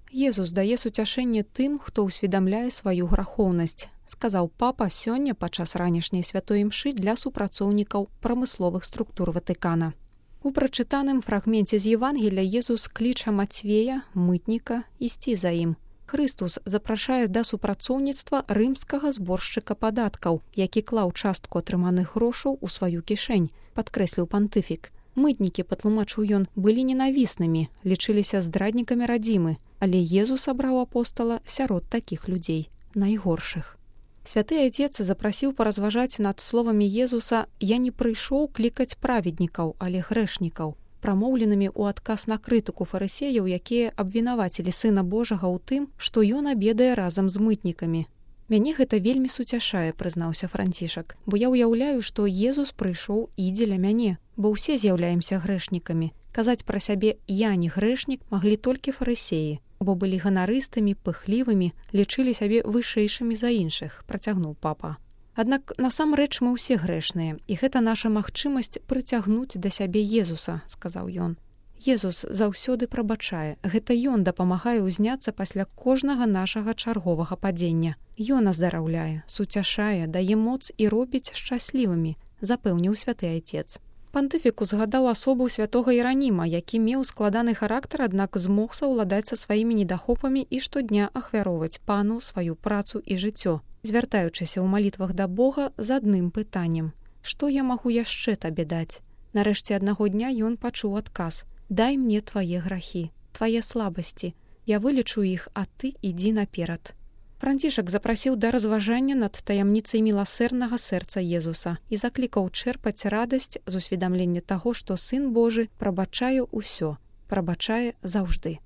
Езус дае суцяшэнне тым, хто ўсведамляе сваю грахоўнасць, сказаў папа сёння падчас ранішняй святой імшы для супрацоўнікаў прамысловых структур Ватыкана. У прачытаным фрагменце з Евангелля Езус кліча Мацвея, мытніка, ісці за ім. Хрыстус запрашае да супрацоўніцтва рымскага зборшчыка падаткаў, які клаў частку атрыманых грошаў у сваю кішэнь, падкрэсліў пантыфік. Мытнікі, патлумачыў ён, былі ненавіснымі, лічыліся здраднікамі радзімы, але Езус абраў апостала сярод такіх людзей, найгоршых. Святы Айцец запрасіў паразважаць над словамі Езуса «Я не прыйшоў клікаць праведнікаў, але грэшнікаў», прамоўленымі ў адказ на крытыку фарысеяў, якія абвінавацілі Сына Божага ў тым, што ён абедае разам з мытнікамі. «Мяне гэта вельмі суцяшае», прызнаўся Францішак, «бо я ўяўляю, што Езус прыйшоў і дзеля мяне, бо ўсе з'яўляемся грэшнікамі. Казаць пра сябе «я не грэшнік» маглі толькі фарысеі, бо былі ганарыстымі, пыхлівымі, лічылі сябе вышэйшымі за іншых», працягнуў папа. Аднак насамрэч мы ўсе грэшныя, і гэта наша магчымасць прыцягнуць да сябе Езуса, сказаў ён. Езус заўсёды прабачае, гэта ён дапамагае ўзняцца пасля кожнага нашага чарговага падзення. Ён аздараўляе, суцяшае, дае моц і робіць шчаслівымі, запэўніў святы Айцец. Пантыфік узгадаў асобу святога Іраніма, які меў складаны характар, аднак змог саўладаць са сваімі недахопамі і штодня ахвяроўваць пану сваю працу і жыццё, звяртаючыся ў малітвах да Бога з адным пытаннем: «Што я магу яшчэ табе даць?» Нарэшце аднаго дня ён пачуў адказ: «Дай мне твае грахі, твае слабасці, я вылечу іх, а ты ідзі наперад». Францішак запрасіў да разважання над таямніцай міласэрнага сэрца Езуса і заклікаў чэрпаць радасць з усведамлення таго, што Сын Божы прабачае ўсё, прабачае заўжды.